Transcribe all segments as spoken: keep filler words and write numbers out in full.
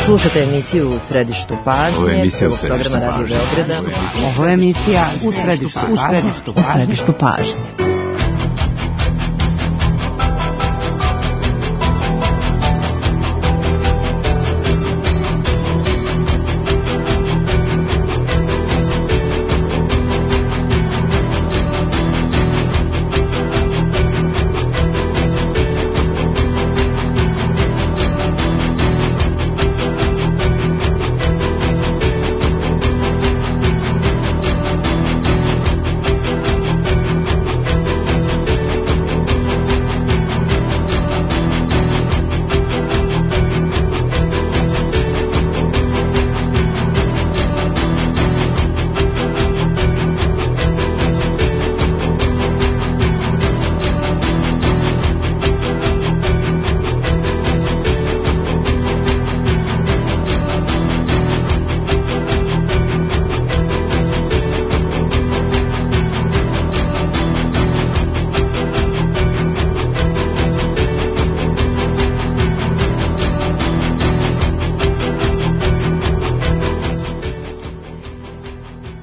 Slušate emisiju U središtu pažnje, prvog programa Radio Beograda. Ovo je emisija U središtu pažnje. U središtu pažnje.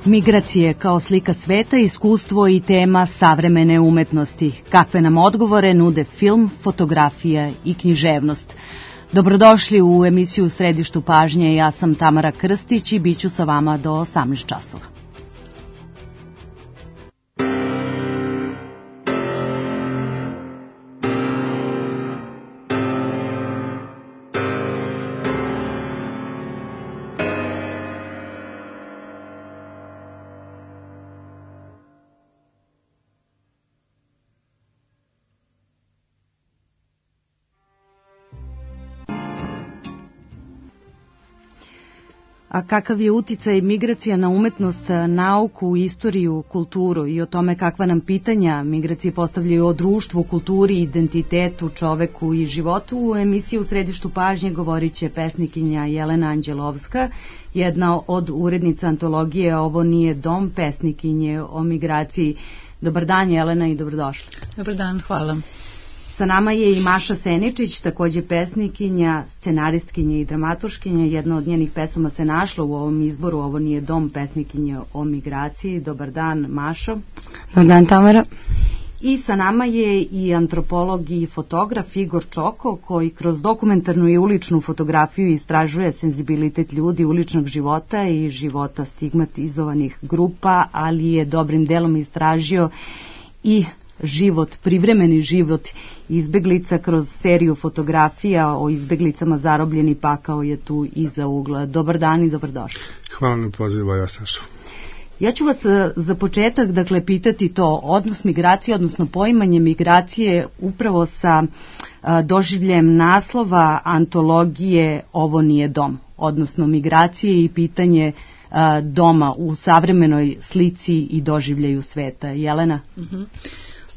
Migracije kao slika sveta, iskustvo i tema savremene umetnosti. Kakve nam odgovore nude film, fotografija i književnost. Dobrodošli u emisiju U središtu pažnje. Ja sam Tamara Krstić i bit ću sa vama do osamnaest časova. A kakav je uticaj migracija na umetnost, nauku, istoriju, kulturu i o tome kakva nam pitanja migracije postavljaju o društvu, kulturi, identitetu, čoveku i životu, u emisiji U središtu pažnje govorit će pesnikinja Jelena Anđelovska, jedna od urednica antologije Ovo nije dom, pesnikinje o migraciji. Dobar dan, Jelena, i dobrodošli. Dobar dan, hvala. Sa nama je i Maša Seničić, takođe pesnikinja, scenaristkinja i dramaturškinja. Jedna od njenih pesama se našla u ovom izboru Ovo nije dom, pesnikinja o migraciji. Dobar dan, Mašo. Dobar dan, Tamara. I sa nama je i antropolog i fotograf Igor Čoko, koji kroz dokumentarnu i uličnu fotografiju istražuje senzibilitet ljudi, uličnog života i života stigmatizovanih grupa, ali je dobrim delom istražio i život, privremeni život izbeglica kroz seriju fotografija o izbeglicama Zarobljeni pakao je tu iza ugla. Dobar dan i dobrodošli. Hvala na pozivu, ja Sašu. Ja ću vas za početak, dakle, pitati to, odnos migracije, odnosno poimanje migracije upravo sa a, doživljem naslova antologije Ovo nije dom, odnosno migracije i pitanje a, doma u savremenoj slici i doživljaju sveta. Jelena? Mhm.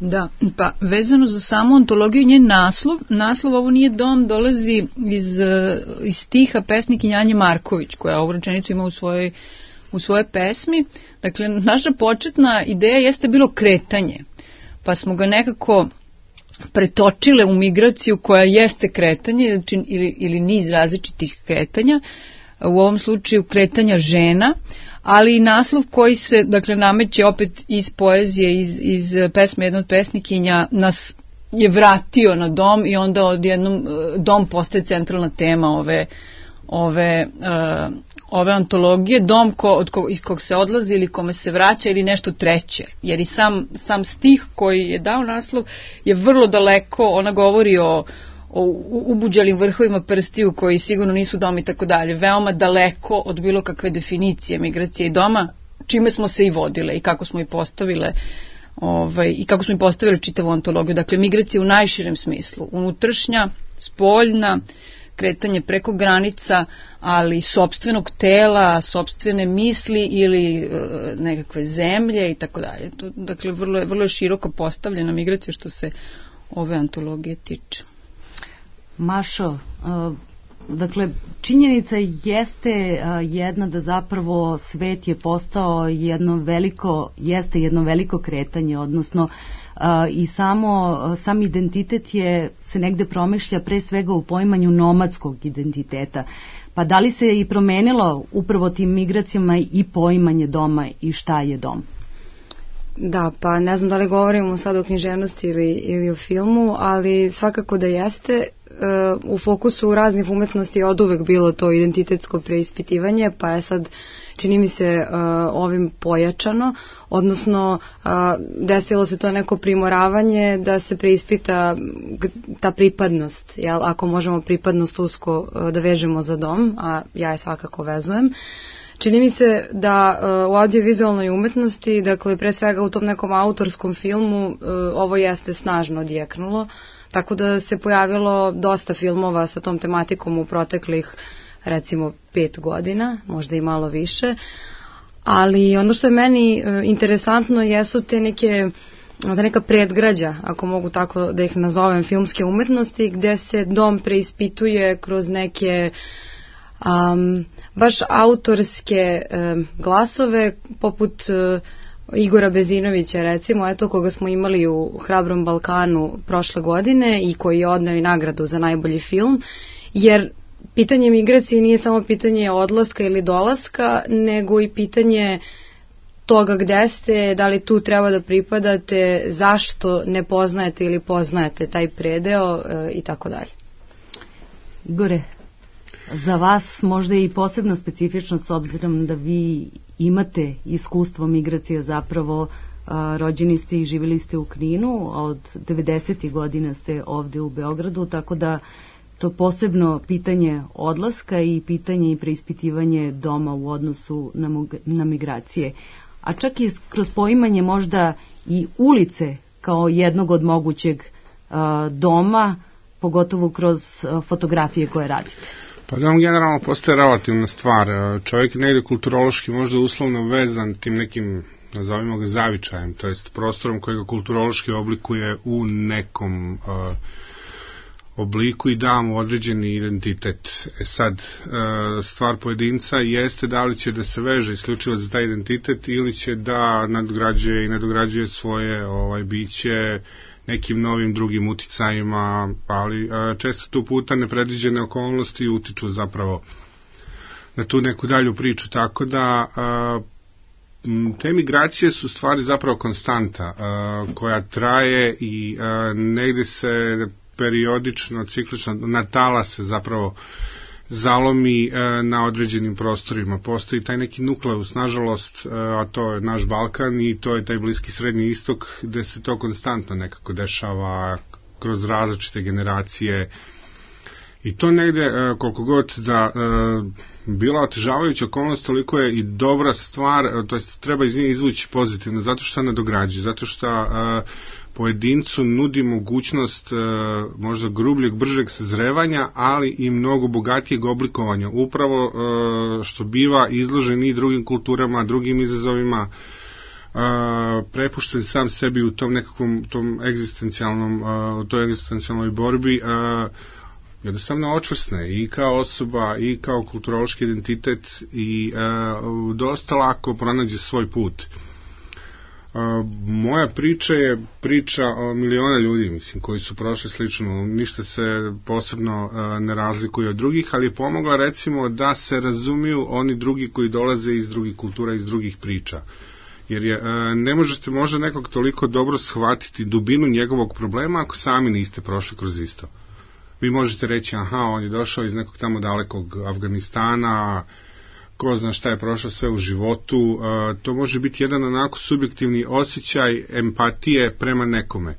Da, pa vezano za samu antologiju, njen naslov, naslov Ovo nije dom dolazi iz, iz stiha pesnikinje Anje Marković, koja ovu rečenicu ima u svojoj, u svojoj pesmi. Dakle, naša početna ideja jeste bilo kretanje, pa smo ga nekako pretočile u migraciju koja jeste kretanje ili, ili niz različitih kretanja, u ovom slučaju kretanja žena, ali i naslov koji se, dakle, nameće opet iz poezije, iz, iz pesme jedne od pesnikinja, nas je vratio na dom i onda odjednom dom postaje centralna tema ove, ove, uh, ove antologije, dom ko, od ko, iz kog se odlazi ili kome se vraća ili nešto treće, jer i sam, sam stih koji je dao naslov je vrlo daleko, ona govori o o ubuđalim vrhovima prstiju koji sigurno nisu dom i tako dalje, veoma daleko od bilo kakve definicije migracije i doma, čime smo se i vodile i kako smo i postavile ovaj, i kako smo i postavile čitavu antologiju. Dakle, migracija u najširem smislu, unutrašnja, spoljna, kretanje preko granica, ali sopstvenog tela, sopstvene misli ili e, nekakve zemlje i tako dalje. Dakle, vrlo je, vrlo je široko postavljena migracija što se ove antologije tiče. Mašo, dakle, činjenica jeste jedna da zapravo svet je postao jedno veliko, jeste jedno veliko kretanje, odnosno i samo, sam identitet je, se negde promišlja pre svega u poimanju nomadskog identiteta. Pa da li se i promenilo upravo tim migracijama i poimanje doma i šta je dom? Da, pa ne znam da li govorimo sad o književnosti ili, ili o filmu, ali svakako da jeste. U fokusu raznih umetnosti je od uvek bilo to identitetsko preispitivanje, pa je sad, čini mi se, ovim pojačano, odnosno desilo se to neko primoravanje da se preispita ta pripadnost, jel? Ako možemo pripadnost usko da vežemo za dom, a ja je svakako vezujem. Čini mi se da uh, u audiovizualnoj umetnosti, dakle pre svega u tom nekom autorskom filmu, uh, ovo jeste snažno odjeknulo, tako da se pojavilo dosta filmova sa tom tematikom u proteklih recimo pet godina, možda i malo više, ali ono što je meni uh, interesantno jesu te neke da neka predgrađa, ako mogu tako da ih nazovem, filmske umetnosti, gde se dom preispituje kroz neke Um, baš autorske um, glasove poput uh, Igora Bezinovića, recimo, eto, koga smo imali u Hrabrom Balkanu prošle godine i koji je odneo i nagradu za najbolji film, jer pitanje migracije nije samo pitanje odlaska ili dolaska, nego i pitanje toga gde ste, da li tu treba da pripadate, zašto ne poznajete ili poznajete taj predeo uh, i tako dalje. Igore, za vas možda je i posebno specifično s obzirom da vi imate iskustvo migracija, zapravo a, rođeni ste i živjeli ste u Kninu, a od devedesetih godina ste ovde u Beogradu, tako da to posebno pitanje odlaska i pitanje i preispitivanje doma u odnosu na, na migracije. A čak i kroz poimanje možda i ulice kao jednog od mogućeg a, doma, pogotovo kroz a, fotografije koje radite. Pa dom generalno postaje relativna stvar. Čovjek je negde kulturološki možda uslovno vezan tim nekim, nazovimo ga, zavičajem, to jest prostorom koji ga kulturološki oblikuje u nekom uh, obliku i da mu određeni identitet. E sad, uh, stvar pojedinca jeste da li će da se veže isključivo za taj identitet ili će da nadgrađuje i nadograđuje svoje ovaj, biće nekim novim drugim uticajima, ali a, često tu puta nepredviđene okolnosti utiču zapravo na tu neku dalju priču, tako da a, te migracije su stvari zapravo konstanta a, koja traje i a, negde se periodično, ciklično natala se zapravo zalomi e, na određenim prostorima. Postoji taj neki nukleus, nažalost, e, a to je naš Balkan i to je taj Bliski Srednji Istok, gde se to konstantno nekako dešava kroz različite generacije. I to negde, e, koliko god da e, bila otežavajuća okolnost, toliko je i dobra stvar, e, to jest treba iz nje izvući pozitivno, zato što nadograđuje, zato što e, pojedincu nudi mogućnost e, možda grubljeg, bržeg sazrevanja, ali i mnogo bogatijeg oblikovanja, upravo e, što biva izložen i drugim kulturama, drugim izazovima, e, prepušten sam sebi u tom nekakvom tom egzistencijalnom, e, u toj egzistencijalnoj borbi, e, jednostavno očvrsne i kao osoba i kao kulturološki identitet i e, dosta lako pronađe svoj put. Uh, moja priča je priča o miliona ljudi, mislim, koji su prošli slično, ništa se posebno uh, ne razlikuje od drugih, ali je pomogla recimo da se razumiju oni drugi koji dolaze iz drugih kultura, iz drugih priča. Jer je, uh, ne možete možda nekog toliko dobro shvatiti dubinu njegovog problema ako sami niste prošli kroz isto. Vi možete reći, aha, on je došao iz nekog tamo dalekog Afganistana, ko zna šta je prošlo sve u životu, uh, to može biti jedan onako subjektivni osjećaj empatije prema nekome.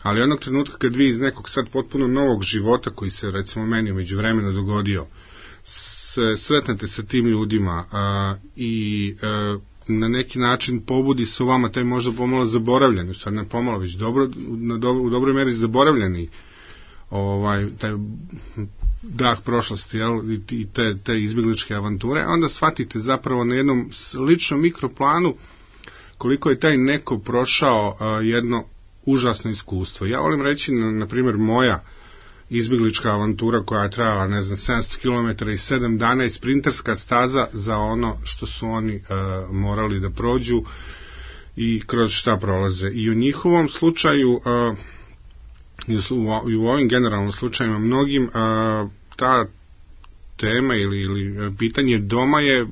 Ali onog trenutka kad vi iz nekog sad potpuno novog života, koji se recimo meni umeđu vremena dogodio, se sretnete sa tim ljudima uh, i uh, na neki način pobudi se u vama taj možda pomalo zaboravljeni, sad ne pomalo, već dobro, na dobro, u dobroj meri zaboravljeni ovaj, taj dah prošlosti, jel, i te, te izbjegličke avanture, onda shvatite zapravo na jednom ličnom mikroplanu koliko je taj neko prošao a, jedno užasno iskustvo. Ja volim reći, na, na primjer, moja izbjeglička avantura koja je trajala, ne znam, sedamsto kilometara i sedam dana je sprinterska staza za ono što su oni a, morali da prođu i kroz šta prolaze. I u njihovom slučaju a, i u ovim generalnim slučajima mnogim a, ta tema ili, ili pitanje doma je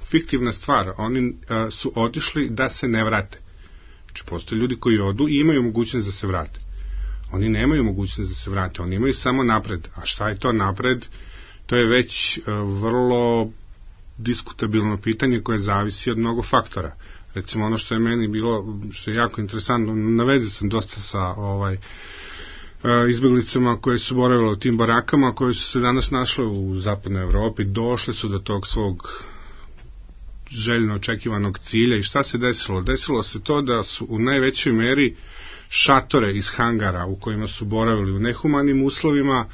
fiktivna stvar. Oni a, su otišli da se ne vrate. Znači, postoje ljudi koji odu i imaju mogućnost da se vrate. Oni nemaju mogućnost da se vrate, oni imaju samo napred. A šta je to napred? To je već a, vrlo diskutabilno pitanje koje zavisi od mnogo faktora. Recimo, ono što je meni bilo, što je jako interesantno, na vezi sam dosta sa ovaj, izbjeglicama koje su boravile u tim barakama, koje su se danas našle u zapadnoj Evropi, došle su do tog svog željno očekivanog cilja. I šta se desilo? Desilo se to da su u najvećoj meri šatore iz hangara u kojima su boravili u nehumanim uslovima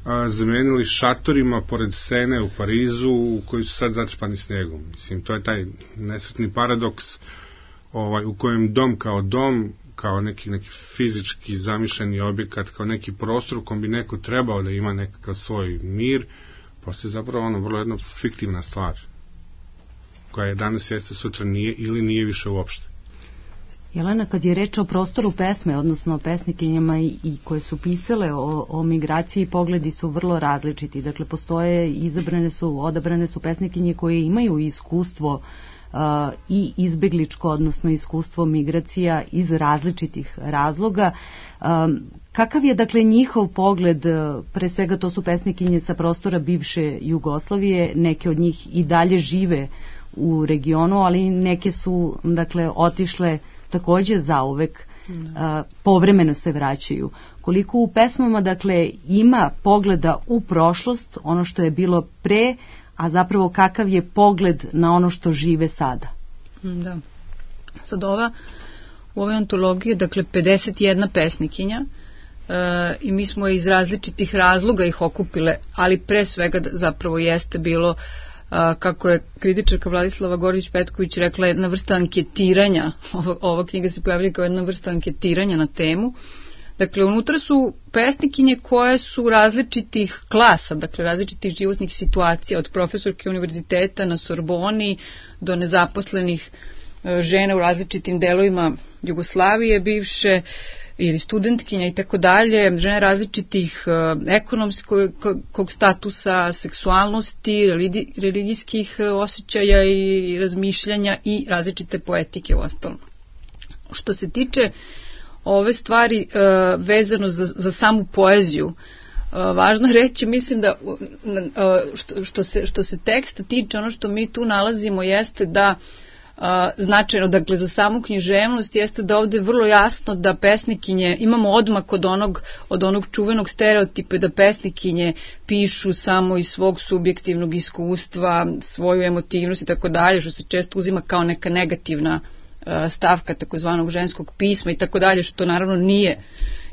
a, zamenili šatorima pored Sene u Parizu koji su sad zatrpani snegom. Mislim, to je taj nesretni paradoks ovaj, u kojem dom kao dom, kao neki, neki fizički zamišljeni objekat, kao neki prostor u kom bi neko trebao da ima nekakav svoj mir, postoje zapravo ono vrlo jedna fiktivna stvar koja je danas jeste, sutra nije ili nije više uopšte. Jelena, kad je reč o prostoru pesme, odnosno o pesnikinjama i, i koje su pisale o, o migraciji, pogledi su vrlo različiti. Dakle, postoje, izabrane su, odabrane su pesnikinje koje imaju iskustvo uh, i izbegličko, odnosno iskustvo migracija iz različitih razloga. Um, kakav je, dakle, njihov pogled, pre svega to su pesnikinje sa prostora bivše Jugoslavije, neke od njih i dalje žive u regionu, ali neke su, dakle, otišle takođe zauvek, a, povremeno se vraćaju. Koliko u pesmama, dakle, ima pogleda u prošlost, ono što je bilo pre, a zapravo kakav je pogled na ono što žive sada? Da. Sad ova, u ovoj antologiji, dakle, pedeset jedna pesnikinja, e, i mi smo iz različitih razloga ih okupile, ali pre svega zapravo jeste bilo, a, kako je kritičarka Vladislava Gorović-Petković rekla, jedna vrsta anketiranja. Ova, ova knjiga se pojavila kao jedna vrsta anketiranja na temu. Dakle, unutra su pesnikinje koje su različitih klasa, dakle različitih životnih situacija, od profesorke univerziteta na Sorboni do nezaposlenih e, žena u različitim delovima Jugoslavije bivše, ili studentkinja i tako dalje, žene različitih uh, ekonomskog statusa, seksualnosti, religi, religijskih uh, osjećaja i razmišljanja i različite poetike u ostalom. Što se tiče ove stvari uh, vezano za, za samu poeziju, uh, važno je reći, mislim da uh, što, što, se, što se teksta tiče, ono što mi tu nalazimo jeste da Uh, značajno, dakle, za samu književnost jeste da ovde vrlo jasno da pesnikinje, imamo odmak od onog, od onog čuvenog stereotipa da pesnikinje pišu samo iz svog subjektivnog iskustva, svoju emotivnost i tako dalje, što se često uzima kao neka negativna uh, stavka takozvanog ženskog pisma i tako dalje, što naravno nije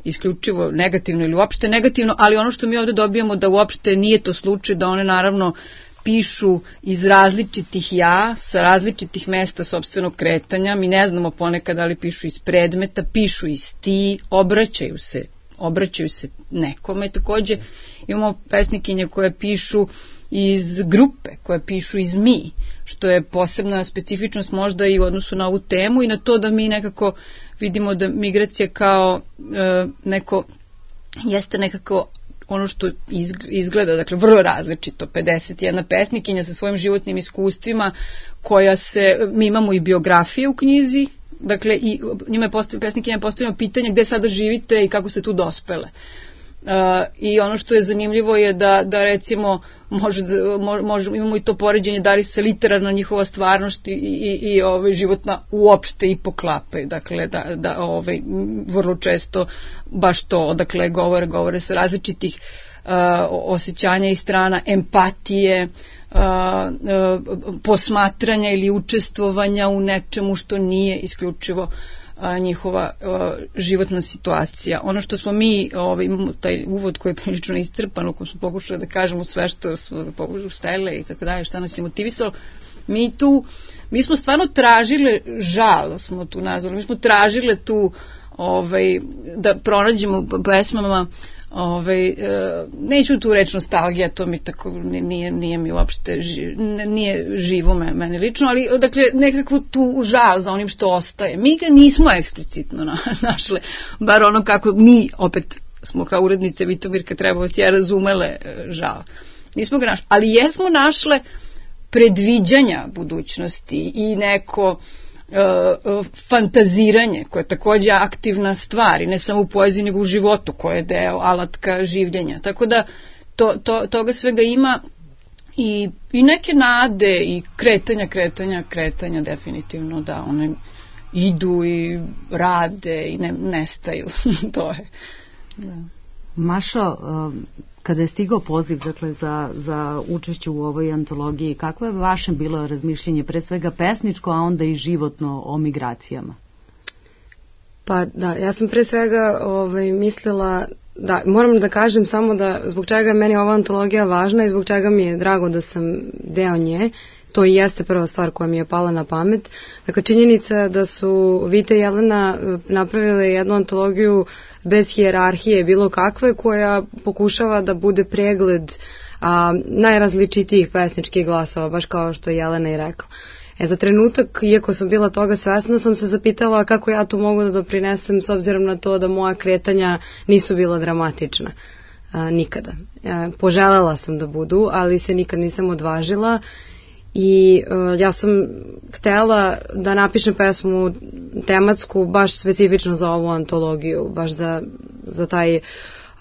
isključivo negativno ili uopšte negativno, ali ono što mi ovde dobijamo da uopšte nije to slučaj, da one naravno pišu iz različitih ja, sa različitih mesta sopstvenog kretanja, mi ne znamo ponekad da li pišu iz predmeta, pišu iz ti, obraćaju se, obraćaju se nekome. Takođe imamo pesnikinje koje pišu iz grupe, koje pišu iz mi, što je posebna specifičnost možda i u odnosu na ovu temu i na to da mi nekako vidimo da migracija kao e, neko, jeste nekako ono što izgleda, dakle, vrlo različito. pedeset jedna pesnikinja sa svojim životnim iskustvima, koja se, mi imamo i biografije u knjizi, dakle, i njima je postavljeno, pesnikinja je postavljeno pitanje gde sada živite i kako ste tu dospele. Uh, I ono što je zanimljivo je da, da recimo, može, može, imamo i to poređenje da li se literarna njihova stvarnost i, i, i ovaj, životna uopšte i poklapaju. Dakle, da, da ovaj, vrlo često baš to, dakle, govore, govore sa različitih uh, osjećanja i strana, empatije, uh, uh, posmatranja ili učestvovanja u nečemu što nije isključivo a, njihova a, životna situacija. Ono što smo mi, ovaj, taj uvod koji je prilično iscrpan, u kojem smo pokušali da kažemo sve što smo pokušali stele i tako dalje, šta nas je motivisalo, mi tu, mi smo stvarno tražile, žal smo tu nazvali, mi smo tražile tu ovaj, da pronađemo pesmama, ovaj, neću tu reći nostalgija, to mi tako nije, nije mi uopšte nije živo me, meni lično, ali dakle nekakvu tu žal za onim što ostaje. Mi ga nismo eksplicitno na, našle, bar ono kako mi opet smo kao urednice Vitomirka Trebovac ja razumele žal. Nismo ga našle, ali jesmo našle predviđanja budućnosti i neko uh, fantaziranje koje je takođe aktivna stvar i ne samo u poeziji nego u životu koje je deo alatka življenja. Tako da to, to, toga svega ima i, i neke nade i kretanja, kretanja, kretanja definitivno da one idu i rade i ne, nestaju. To je. Da. Mašo, kada je stigao poziv dakle, za, za učešće u ovoj antologiji, kako je vaše bilo razmišljenje, pre svega pesničko, a onda i životno o migracijama? Pa da, ja sam pre svega ovaj, mislila, da, moram da kažem samo da zbog čega je meni ova antologija važna i zbog čega mi je drago da sam deo nje, to i jeste prva stvar koja mi je pala na pamet. Dakle, činjenica da su Vita i Jelena napravile jednu antologiju bez hijerarhije bilo kakve, koja pokušava da bude pregled a, najrazličitijih pesničkih glasova, baš kao što je Jelena i rekla. E, za trenutak, iako sam bila toga svesna, sam se zapitala kako ja to mogu da doprinesem s obzirom na to da moja kretanja nisu bila dramatična. A, nikada. A, poželela sam da budu, ali se nikad nisam odvažila i uh, ja sam htela da napišem pesmu tematsku baš specifično za ovu antologiju, baš za, za taj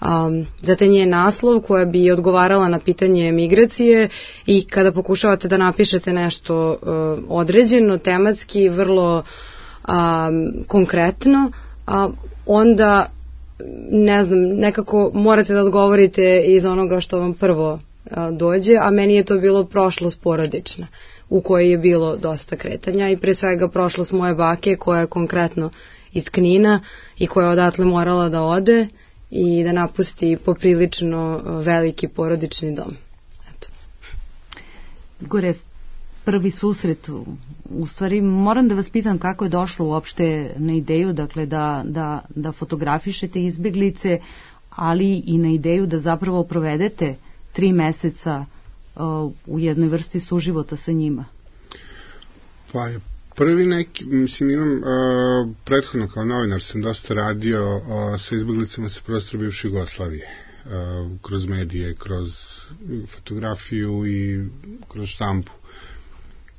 um, za taj njen naslov koja bi odgovarala na pitanje migracije i kada pokušavate da napišete nešto uh, određeno, tematski, vrlo um, konkretno, uh, onda ne znam, nekako morate da odgovorite iz onoga što vam prvo dođe, a meni je to bilo prošlost porodična u kojoj je bilo dosta kretanja i pre svega prošlost moje bake koja je konkretno iz Knina i koja je odatle morala da ode i da napusti poprilično veliki porodični dom. Eto. Gore, prvi susret, u stvari moram da vas pitam kako je došlo uopšte na ideju, dakle da, da, da fotografišete izbeglice, ali i na ideju da zapravo provedete tri meseca uh, u jednoj vrsti suživota sa njima? Pa prvi neki, mislim imam uh, prethodno kao novinar sam dosta radio uh, sa izbeglicama sa prostora bivše Jugoslavije, uh, kroz medije, kroz fotografiju i kroz štampu.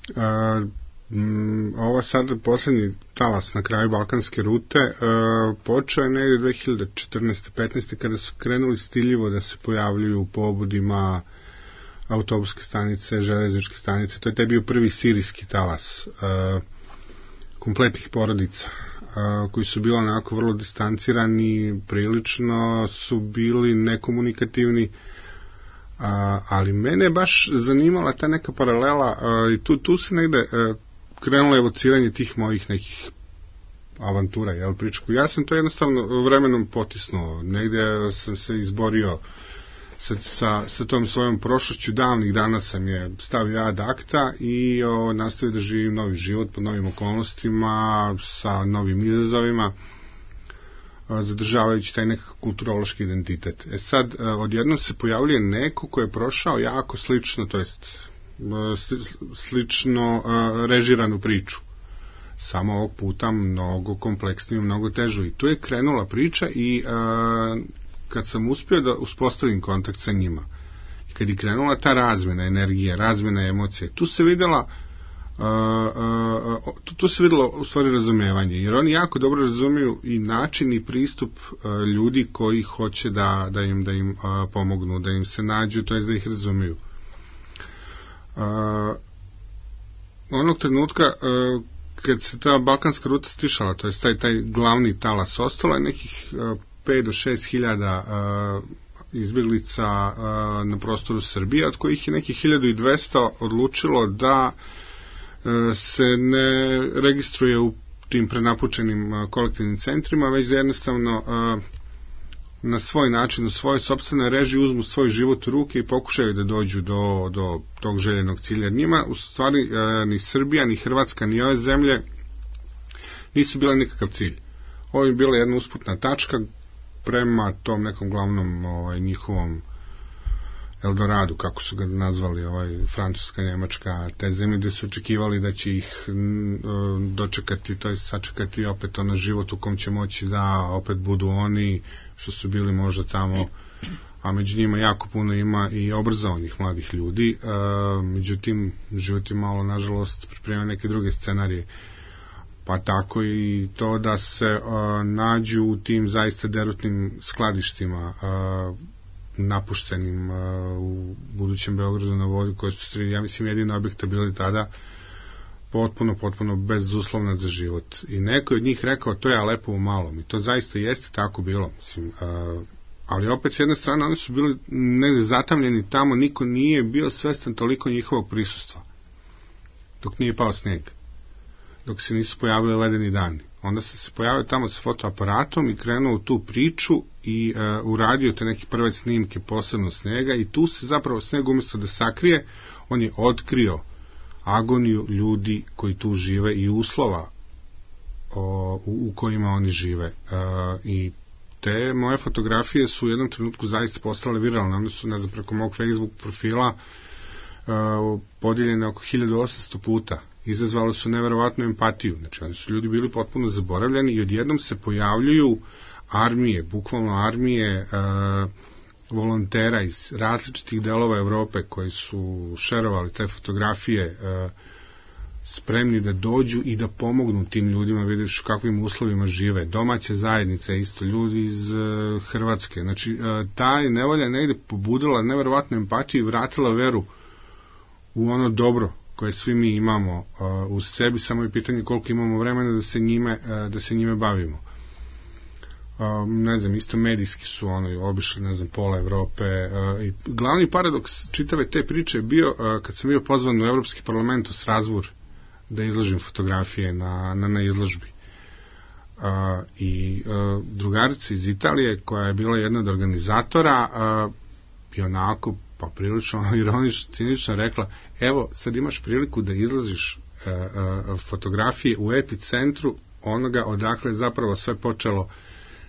Uh, m, ovo sad poslednji talas na kraju balkanske rute uh, počeo je negde dve hiljade četrnaeste petnaeste kada su krenuli stiljivo da se pojavljuju u pobudima autobuske stanice, železničke stanice. To je taj bio prvi sirijski talas uh, kompletnih porodica uh, koji su bili onako vrlo distancirani, prilično su bili nekomunikativni, uh, ali mene je baš zanimala ta neka paralela uh, i tu, tu se negde uh, krenulo evociranje tih mojih nekih avantura, jel, pričku. Ja sam to jednostavno vremenom potisnuo. Negde sam se izborio sa, sa, sa tom svojom prošlošću. Davnih dana sam je stavio ad acta i o, nastavio da živim novi život pod novim okolnostima, sa novim izazovima, o, zadržavajući taj nekakav kulturološki identitet. E sad, odjednom se pojavljuje neko ko je prošao jako slično, to jest slično uh, režiranu priču. Samo ovog puta mnogo kompleksniju, mnogo težu. I tu je krenula priča i uh, kad sam uspio da uspostavim kontakt sa njima, i kad je krenula ta razmena energije, razmena emocije, tu se videla uh, uh, tu, tu se videlo u stvari razumevanje, jer oni jako dobro razumiju i način i pristup uh, ljudi koji hoće da, da im, da im uh, pomognu, da im se nađu, to je da ih razumiju. Uh, onog trenutka uh, kad se ta balkanska ruta stišala, to je taj, taj glavni talas, ostalo je nekih uh, pet do šest hiljada uh, izbjeglica uh, na prostoru Srbije, od kojih je nekih hiljadu i dvesta odlučilo da uh, se ne registruje u tim prenapučenim uh, kolektivnim centrima, već da jednostavno uh, na svoj način, u svojoj sopstvenoj režiji uzmu svoj život u ruke i pokušaju da dođu do, do tog željenog cilja. Njima, u stvari, e, ni Srbija, ni Hrvatska, ni ove zemlje nisu bile nikakav cilj. Ovo je bila jedna usputna tačka prema tom nekom glavnom ovaj, njihovom Eldoradu, kako su ga nazvali, ovaj, Francuska, Njemačka, te zemlje gde su očekivali da će ih dočekati, to je sačekati opet ono život u kom će moći da opet budu oni što su bili možda tamo, a među njima jako puno ima i obrazovanih mladih ljudi, e, međutim život je malo nažalost priprema neke druge scenarije, pa tako i to da se e, nađu u tim zaista derutnim skladištima, e, napuštenim uh, u budućem Beogradu na vodi, koje su tri, ja mislim, jedina objekta bili tada potpuno, potpuno bezuslovna za život. I neko je od njih rekao, to je lepo u malom. I to zaista jeste tako bilo. Mislim, uh, ali opet s jedne strane oni su bili negde zatamljeni tamo, niko nije bio svestan toliko njihovog prisustva. Dok nije pao sneg. Dok se nisu pojavili ledeni dani. Onda se se pojavio tamo sa fotoaparatom i krenuo u tu priču i uh, uradio te neke prve snimke posebno snega i tu se zapravo sneg umjesto da sakrije, on je otkrio agoniju ljudi koji tu žive i uslova o, u, u kojima oni žive. Uh, I te moje fotografije su u jednom trenutku zaista postale viralne. One su, ne znam, preko mog Facebook profila uh, podijeljene oko hiljadu osamsto puta. Izazvalo su neverovatnu empatiju. Znači, oni su ljudi bili potpuno zaboravljeni i odjednom se pojavljuju armije, bukvalno armije e, volontera iz različitih delova Evrope koji su šerovali te fotografije, e, spremni da dođu i da pomognu tim ljudima, vidiš u kakvim uslovima žive. Domaće zajednice, isto ljudi iz e, Hrvatske. Znači, e, ta je nevolja negde pobudila neverovatnu empatiju i vratila veru u ono dobro koje svi mi imamo uh, u sebi, samo je pitanje koliko imamo vremena da se njime, uh, da se njime bavimo. Uh, ne znam, isto medijski su ono, obišli, ne znam, pola Evrope. Uh, i glavni paradoks čitave te priče je bio uh, kad sam bio pozvan u Evropski parlament u Strasbourg da izložim fotografije na, na, na izložbi. Uh, I uh, drugarica iz Italije, koja je bila jedna od organizatora, uh, i onako pa prilično ironično, cinično rekla, evo, sad imaš priliku da izlaziš e, e, fotografije u epicentru onoga odakle je zapravo sve počelo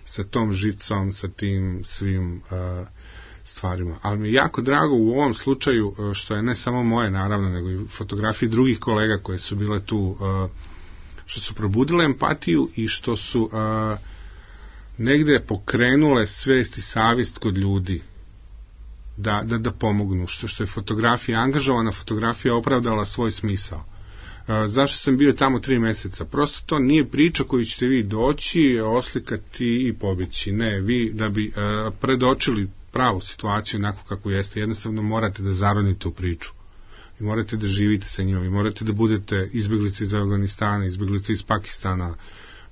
sa tom žicom, sa tim svim e, stvarima. Ali mi je jako drago u ovom slučaju, što je ne samo moje, naravno, nego i fotografije drugih kolega koje su bile tu, e, što su probudile empatiju i što su e, negde pokrenule svest i savjest kod ljudi Da, da, da pomognu, što, što je fotografija, angažovana fotografija opravdala svoj smisao. E, zašto sam bio tamo tri meseca? Prosto to nije priča koju ćete vi doći, oslikati i pobjeći. Ne, vi da bi e, predočili pravu situaciju onako kako jeste, jednostavno morate da zaronite u priču. Vi morate da živite sa njima, vi morate da budete izbjeglice iz Afganistana, izbjeglice iz Pakistana,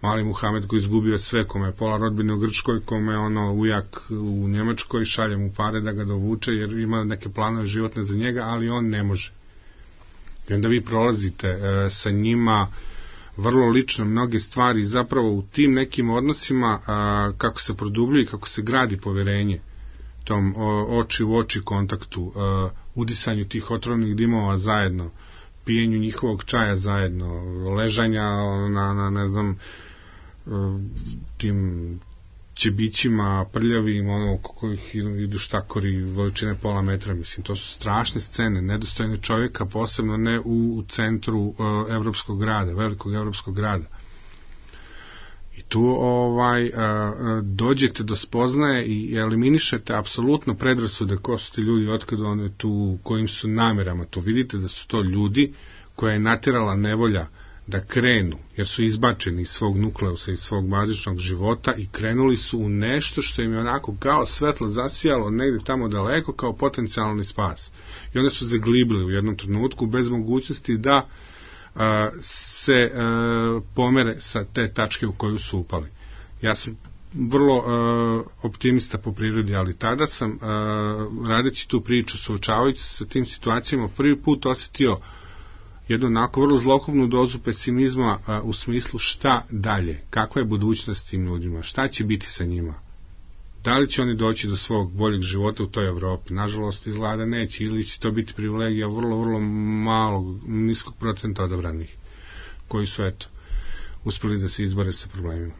mali Muhamed koji izgubio sve, kome je pola rodbine u Grčkoj, kome je ono ujak u Njemačkoj, šalje mu pare da ga dovuče jer ima neke planove životne za njega, ali on ne može. I onda vi prolazite e, sa njima vrlo lično mnoge stvari, zapravo u tim nekim odnosima a, kako se produbljuje i kako se gradi poverenje tom o, oči u oči kontaktu, a, udisanju tih otrovnih dimova zajedno, pijenju njihovog čaja zajedno, ležanja na, na ne znam, tim ćebićima prljavim, ono, oko kojih idu štakori veličine pola metra, mislim, to su strašne scene, nedostojne čovjeka, posebno ne u, u centru uh, evropskog grada, velikog evropskog grada. I tu ovaj, uh, dođete do spoznaje i eliminišete apsolutno predrasude ko su ti ljudi, otkada one tu, kojim su namerama, to vidite da su to ljudi koja je natjerala nevolja da krenu, jer su izbačeni iz svog nukleusa, iz svog bazičnog života i krenuli su u nešto što im je onako kao svetlo zasijalo negdje tamo daleko kao potencijalni spas. I onda su zaglibili u jednom trenutku bez mogućnosti da uh, se uh, pomere sa te tačke u koju su upali. Ja sam vrlo uh, optimista po prirodi, ali tada sam uh, radeći tu priču, suočavajući se sa tim situacijama, prvi put osjetio jednu onako vrlo zlokobnu dozu pesimizma a, u smislu šta dalje, kakva je budućnost tim ljudima, šta će biti sa njima, da li će oni doći do svog boljeg života u toj Evropi. Nažalost izgleda neće, ili će to biti privilegija vrlo, vrlo malog, niskog procenta odabranih koji su, eto, uspeli da se izbore sa problemima.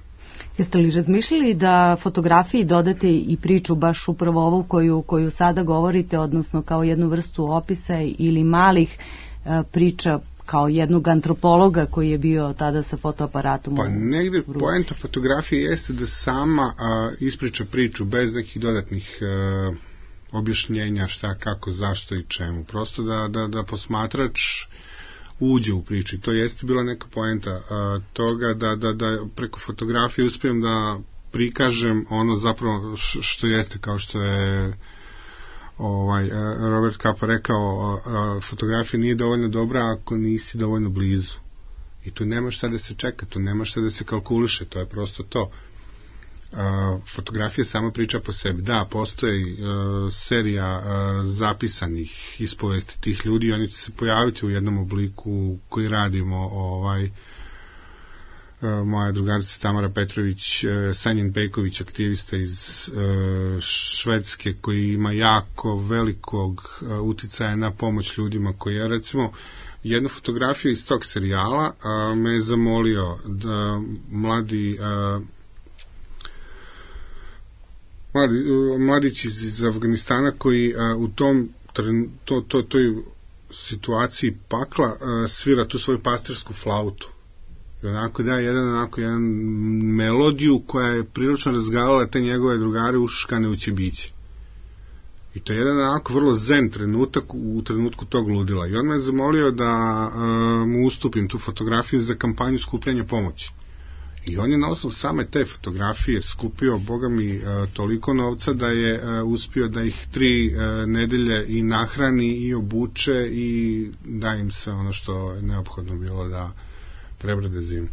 Jeste li razmišljali da fotografiji dodate i priču baš upravo ovu koju, koju sada govorite, odnosno kao jednu vrstu opisa ili malih uh, priča kao jednog antropologa koji je bio tada sa fotoaparatom? Pa negde poenta fotografije jeste da sama a, ispriča priču bez nekih dodatnih a, objašnjenja šta, kako, zašto i čemu. Prosto da, da, da posmatrač uđe u priču i to jeste bila neka poenta a, toga da, da, da preko fotografije uspijem da prikažem ono zapravo što jeste, kao što je ovaj Robert Capa rekao, fotografija nije dovoljno dobra ako nisi dovoljno blizu. I tu nema šta da se čeka, tu nema šta da se kalkuliše, to je prosto to. Fotografija sama priča po sebi. Da, postoji serija zapisanih ispovesti tih ljudi i oni će se pojaviti u jednom obliku koji radimo, ovaj moja drugarica Tamara Petrović, Sanjin Pejković, aktivista iz Švedske, koji ima jako velikog uticaja na pomoć ljudima, koji je, recimo, jednu fotografiju iz tog serijala me je zamolio da mladi mladi, mladić iz, iz Afganistana koji u tom to, to, toj situaciji pakla svira tu svoju pastirsku flautu. I onako da jedan, onako jedan melodiju koja je prilično razgalala te njegove drugare uškane u ćebiće. I to je jedan onako vrlo zen trenutak u trenutku tog ludila. I on me zamolio da uh, mu ustupim tu fotografiju za kampanju skupljanja pomoći. I on je na osnovu same te fotografije skupio, boga mi, uh, toliko novca da je uh, uspio da ih tri uh, nedelje i nahrani i obuče i da im se ono što je neophodno bilo da prebrode zimu.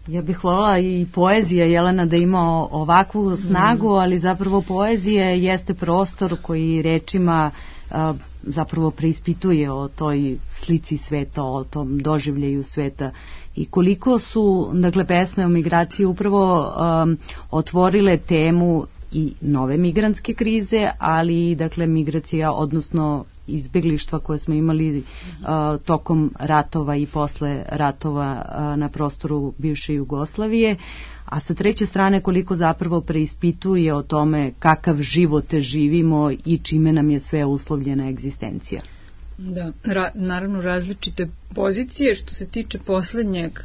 Ja bih voljela i poezija, Jelena, da ima ovakvu snagu, ali zapravo poezija jeste prostor koji rečima a, zapravo preispituje o toj slici sveta, o tom doživljaju sveta i koliko su, dakle, pesme o migraciji upravo a, otvorile temu i nove migrantske krize, ali i, dakle, migracija, odnosno izbeglištva koje smo imali uh, tokom ratova i posle ratova uh, na prostoru bivše Jugoslavije, a sa treće strane koliko zapravo preispituje o tome kakav život živimo i čime nam je sve uslovljena egzistencija. Da, ra, naravno različite pozicije. Što se tiče poslednjeg uh,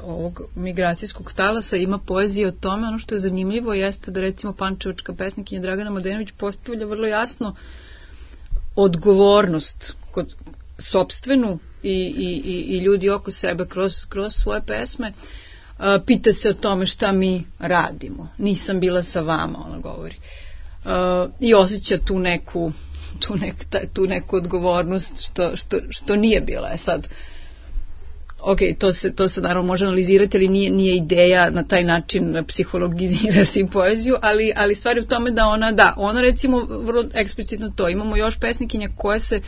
ovog migracijskog talasa, ima poezije o tome. Ono što je zanimljivo jeste da, recimo, pančevačka pesnikinja Dragana Mladenović postavlja vrlo jasno odgovornost kod sopstvenu i, i, i ljudi oko sebe kroz, kroz svoje pesme. Uh, pita se o tome šta mi radimo. Nisam bila sa vama, ona govori. Uh, I osjeća tu neku, tu, nek, tu neku odgovornost što, što, što nije bila. Je sad, ok, to se, to se naravno može analizirati, ali nije, nije ideja na taj način psihologizirati poeziju, ali, ali stvar je u tome da ona, da, ona recimo vrlo eksplicitno to. Imamo još pesnikinja koje se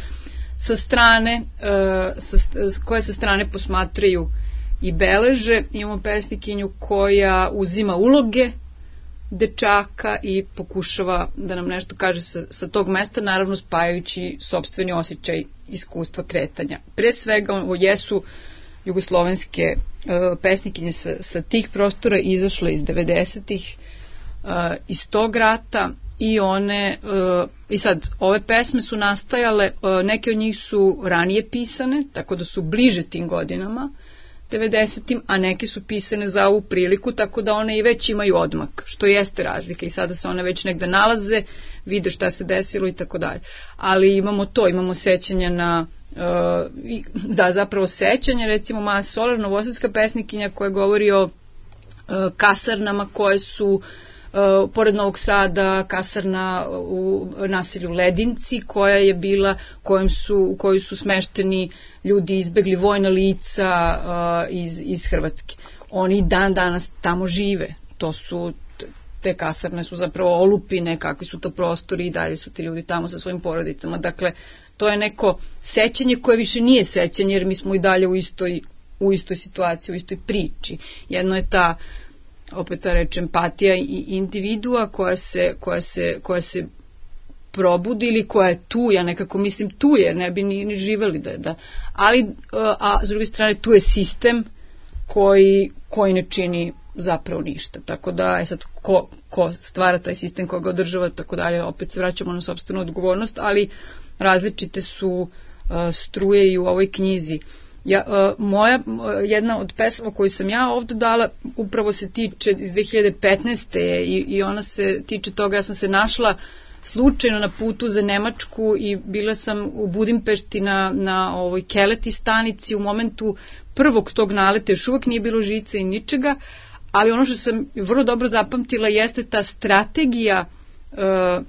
sa strane, uh, sa, koje sa strane posmatraju i beleže. Imamo pesnikinju koja uzima uloge dečaka i pokušava da nam nešto kaže sa, sa tog mesta, naravno spajajući sopstveni osjećaj iskustva kretanja. Pre svega ovo jesu jugoslovenske uh, pesnikinje sa, sa tih prostora, izašle iz devedesetih uh, iz tog rata i one uh, i sad ove pesme su nastajale, uh, neke od njih su ranije pisane, tako da su bliže tim godinama devedesetim, a neke su pisane za ovu priliku, tako da one i već imaju odmak, što jeste razlika i sada se one već negde nalaze, vide šta se desilo i tako dalje. Ali imamo to, imamo sećanja na Uh, da, zapravo sećanje, recimo Maja Solar, novosadska pesnikinja koja govori o uh, kasarnama koje su uh, pored Novog Sada, kasarna u naselju Ledinci koja je bila, kojom su, u kojoj su smešteni ljudi izbegli, vojna lica uh, iz, iz Hrvatske. Oni dan danas tamo žive. To su, te kasarne su zapravo olupine, kakvi su to prostori i dalje su ti ljudi tamo sa svojim porodicama. Dakle, to je neko sećanje koje više nije sećanje, jer mi smo i dalje u istoj, u istoj situaciji, u istoj priči. Jedno je ta, opet ta reč, empatija i individua koja se, koja se, koja se probudi ili koja je tu, ja nekako mislim tu je, ne bi ni, ni živeli da, da. Ali, a s druge strane tu je sistem koji, koji ne čini zapravo ništa. Tako da je sad ko, ko stvara taj sistem, ko ga održava, tako dalje, opet se vraćamo na sopstvenu odgovornost, ali različite su uh, struje i u ovoj knjizi. Ja, uh, moja, uh, jedna od pesama koju sam ja ovde dala upravo se tiče iz dve hiljade petnaeste. I, i ona se tiče toga, ja sam se našla slučajno na putu za Nemačku i bila sam u Budimpešti na, na ovoj Keleti stanici u momentu prvog tog naleta, još uvek nije bilo žice i ničega, ali ono što sam vrlo dobro zapamtila jeste ta strategija e,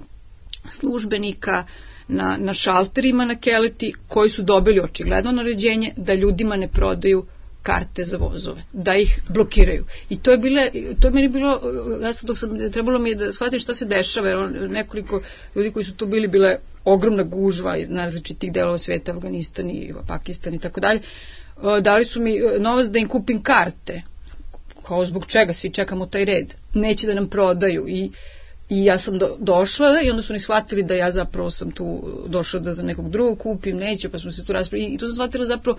službenika na, na šalterima na Keleti koji su dobili očigledno naređenje da ljudima ne prodaju karte za vozove, da ih blokiraju. I to je bile, to je meni bilo, ja sam dok sam, trebalo mi je da shvatim šta se dešava, jer nekoliko ljudi koji su tu bili, bile ogromna gužva iz različitih delova sveta, Afganistan i Pakistan i tako dalje, dali su mi novac da im kupim karte, kao zbog čega svi čekamo taj red, neće da nam prodaju i I ja sam do, došla i onda su oni shvatili da ja zapravo sam tu došla da za nekog drugog kupim, neću, pa smo se tu raspravili i tu sam shvatila zapravo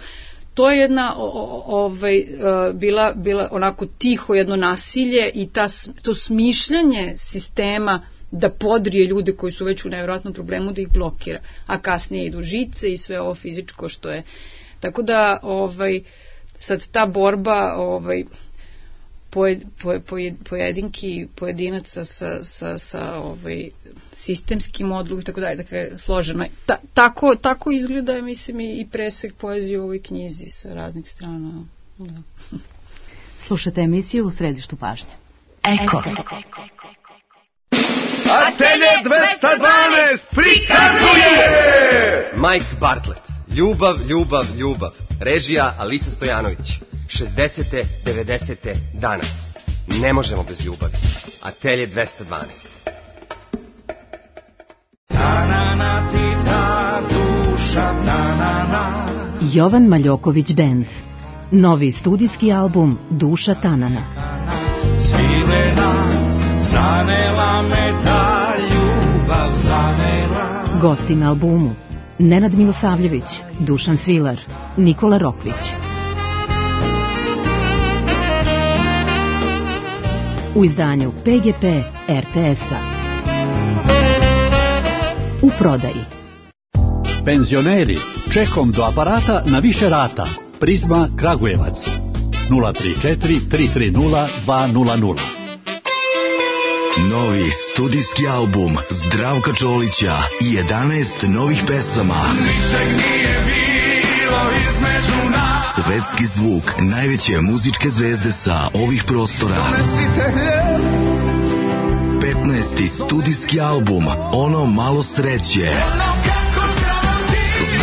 to je jedna o, o, ovaj, bila, bila onako tiho jedno nasilje i ta, to smišljanje sistema da podrije ljude koji su već u nevjerojatnom problemu, da ih blokira, a kasnije idu žice i sve ovo fizičko što je. Tako da ovaj, sad ta borba ovaj, Pojed, pojed, pojedinki pojedinaca sa, sa, sa ovaj, sistemskim odlukom i tako dalje, dakle složeno. Ta, tako, tako izgleda, mislim, i presek poezije u ovoj knjizi sa raznih strana. Da. Slušate emisiju U središtu pažnje. Eko. Atelje dvesta dvanaest prikazuje Mike Bartlett. Ljubav, ljubav, ljubav. Režija Alisa Stojanović. šezdesete, devedesete danas. Ne možemo bez ljubavi. Atelje dvesta dvanaest. Jovan Maljoković Band. Novi studijski album Duša Tanana. Svilena, zanela me ta ljubav, zanela. Gosti na albumu: Nenad Milosavljević, Dušan Svilar, Nikola Rokvić. U izdanju P G P R T S-a. U prodaji. Penzioneri, čekom do aparata na više rata. Prizma Kragujevac. nula tri četiri, tri tri nula, dva nula nula. Novi studijski album Zdravka Čolića i jedanaest novih pesama. Svetski zvuk najveće muzičke zvezde sa ovih prostora. petnaesti studijski album Ono malo sreće.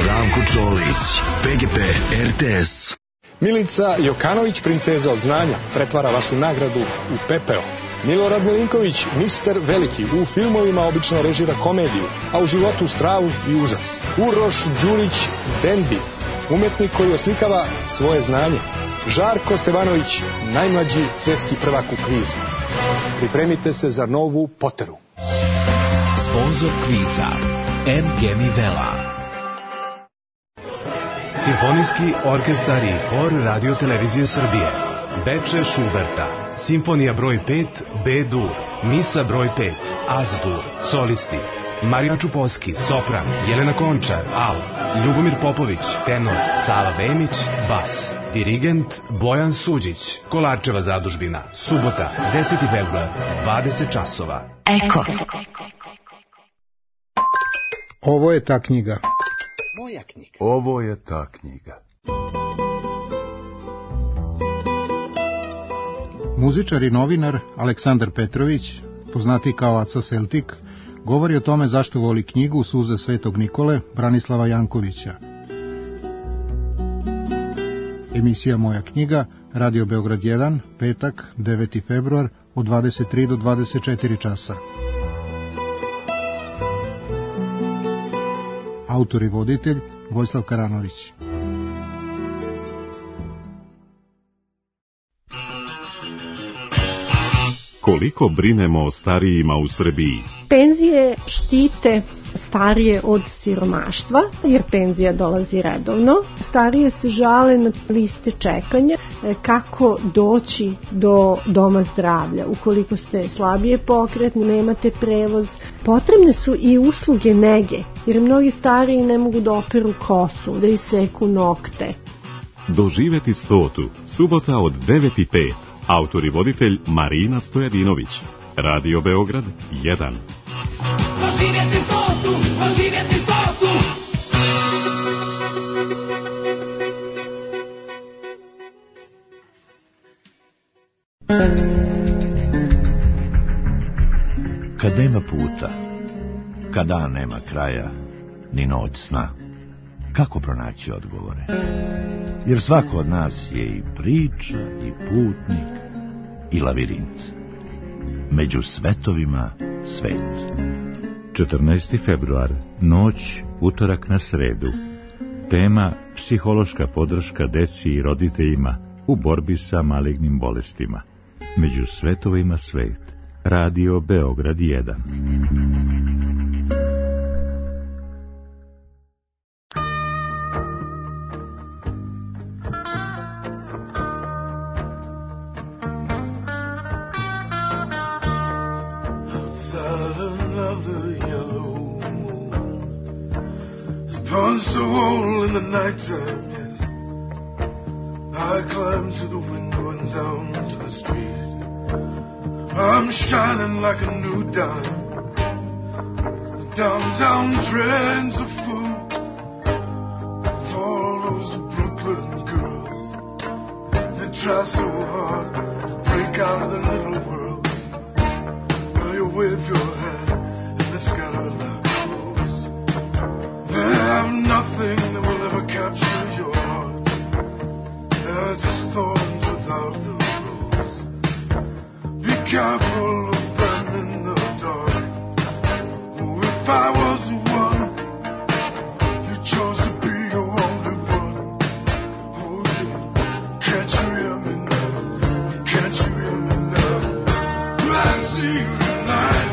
Zdravko Čolić, P G P R T S. Milica Jokanović, princeza od znanja, pretvara vašu nagradu u pepeo. Milorad Milinković, mister Veliki, u filmovima obično režira komediju, a u životu stravu i užas. Uroš Đurić, Dendi, umetnik koji oslikava svoje znanje. Žarko Stevanović, najmlađi svetski prvak u kvizu. Pripremite se za novu Poteru. Sponzor kviza M G Mivela. Simfonijski orkestar i hor Radio Televizije Srbije. Beče Šuberta. Simfonija broj pet B-dur. Misa broj pet Az-dur. Solisti: Marija Čupovski, sopran; Jelena Končar, alt; Ljubomir Popović, tenor; Sava Vemić, bas; dirigent Bojan Suđić. Kolarčeva zadužbina. Subota, deseti februar, dvadeset časova. Eko. Ovo je ta knjiga. Moja knjiga. Ovo je ta knjiga. Muzičar i novinar Aleksandar Petrović, poznati kao Aca Celtic, govori o tome zašto voli knjigu Suze Svetog Nikole Branislava Jankovića. Emisija Moja knjiga, Radio Beograd jedan, petak, deveti februar, od dvadeset tri do dvadeset četiri časa. Autor i voditelj Vojislav Karanović. Koliko brinemo o starijima u Srbiji? Penzije štite starije od siromaštva, jer penzija dolazi redovno. Starije se žale na liste čekanja, kako doći do doma zdravlja. Ukoliko ste slabije pokretni, nemate prevoz, potrebne su i usluge nege, jer mnogi stariji ne mogu da operu kosu, da iseku nokte. Doživeti stotu, subota od devet i pet. Autor i voditelj Marina Stojadinović. Radio Beograd jedan. Doživjeti stotu, doživjeti stotu. Kad nema puta, kad dan nema kraja, ni noć sna, kako pronaći odgovore? Jer svako od nas je i priča, i putnik, i lavirint. Među svetovima svet. četrnaesti februar, noć, utorak na sredu. Tema: psihološka podrška deci i roditeljima u borbi sa malignim bolestima. Među svetovima svet. Radio Beograd jedan. So all in the nighttime, yes, I climb to the window and down to the street. I'm shining like a new dime. The downtown trends are full of all those Brooklyn girls. They try so hard to break out of their little worlds. Now you wave your hand and they scatter like crows. They have nothing that will ever capture your heart. They're just thorns without the rose. Be careful of them in the dark. Oh, if I was the one you chose to be your only one. Oh, yeah. Can't you hear me now? Can't you hear me now? I see you tonight.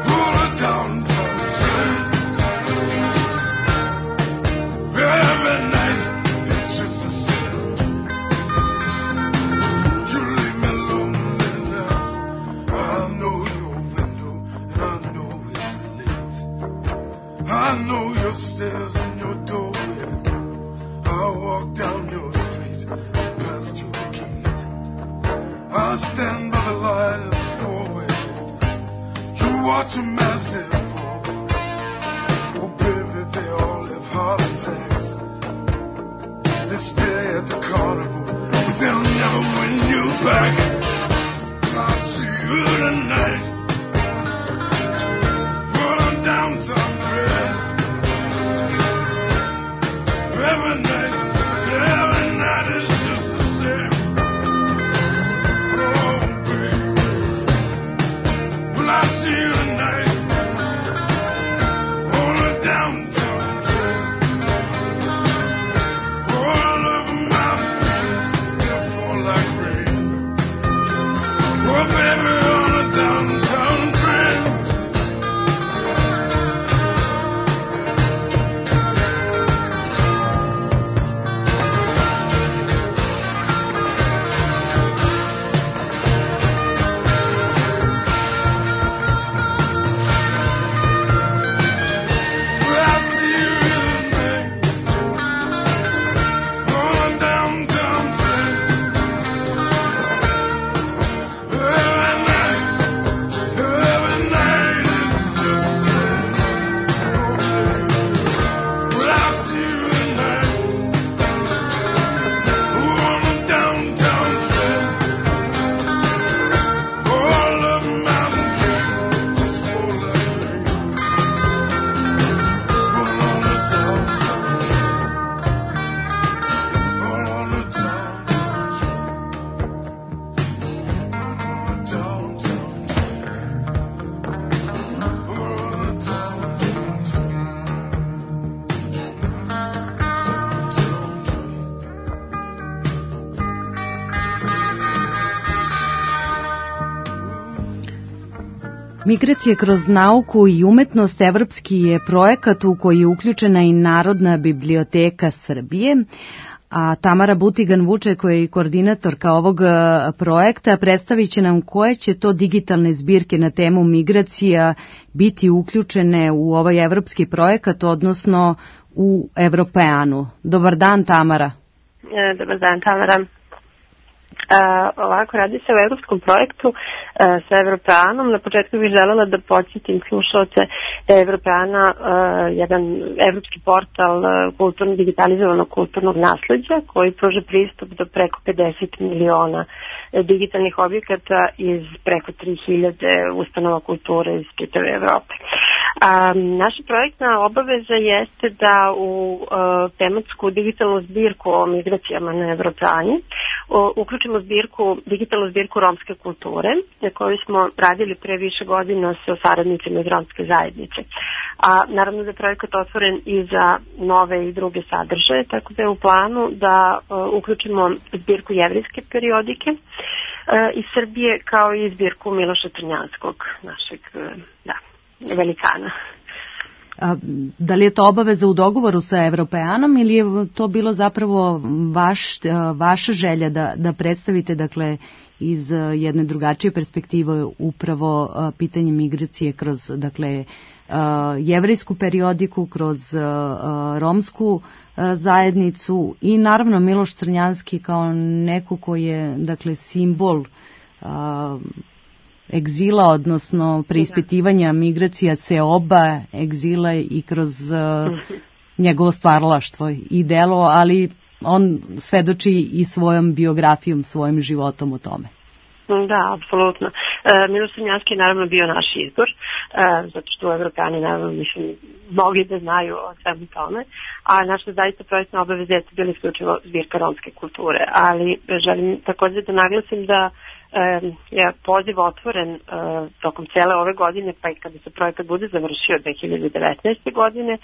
Pull it down. Every night it's just the same. You leave me lonely now. I know your window and I know it's late. I know your stairs and your doorway. I walk down your street and past your gate. I stand by the light of the four-way. You watch a massive fall. Oh baby, they all have heart attacks. They stay at the carnival, but they'll never win you back. I'll see you tonight. Put on downtown dread. Every night, every night is just the same. Oh, baby. Well, I see you tonight. Hold it downtown dread. All over my face, they fall like rain. Oh, baby, on the downtown. Migracije kroz nauku i umetnost evropski je projekat u koji je uključena i Narodna biblioteka Srbije, a Tamara Butigan-Vuče, koja je koordinatorka ovog projekta, predstavit će nam koje će to digitalne zbirke na temu migracija biti uključene u ovaj evropski projekat, odnosno u Evropeanu. Dobar dan, Tamara. E, dobar dan, Tamara. Uh, ovako, radi se o evropskom projektu uh, sa Evropeanom. Na početku bih želela da podsjetim slušalce da je Evropeana uh, jedan evropski portal uh, kulturno, digitalizovanog kulturnog nasleđa koji pruža pristup do preko pedeset miliona digitalnih objekata iz preko tri hiljade ustanova kulture iz čitave Evrope. Um, naša projektna obaveza jeste da u uh, tematsku digitalnu zbirku o migracijama na Evropeani uh, uključimo zbirku, digitalnu zbirku romske kulture, na kojoj smo radili pre više godina sa saradnicima iz romske zajednice. A naravno da je projekat otvoren i za nove i druge sadržaje, tako da je u planu da uh, uključimo zbirku jevrijske periodike uh, iz Srbije, kao i zbirku Miloša Crnjanskog, našeg, uh, da, velikana. A, da li je to obaveza u dogovoru sa Evropeanom ili je to bilo zapravo vaš, vaša želja da, da predstavite, dakle, iz jedne drugačije perspektive upravo a, pitanje migracije kroz, dakle, a, jevrijsku periodiku, kroz a, romsku a, zajednicu i naravno Miloš Crnjanski kao neko koji je, dakle, simbol a, egzila, odnosno preispitivanja migracija seoba, egzila i kroz uh, njegovo stvaralaštvo i delo, ali on svedoči i svojom biografijom, svojim životom o tome. Da, apsolutno. E, Miloš Crnjanski je naravno bio naš izbor, e, zato što Evropani, naravno, mislim, mnogi da znaju o svemu tome, a naša zaista projektna obaveza je bila isključivo zbirka romske kulture, ali želim također da naglasim da je poziv otvoren uh, tokom cele ove godine, pa i kada se projekat bude završio dve hiljade devetnaeste. godine, uh,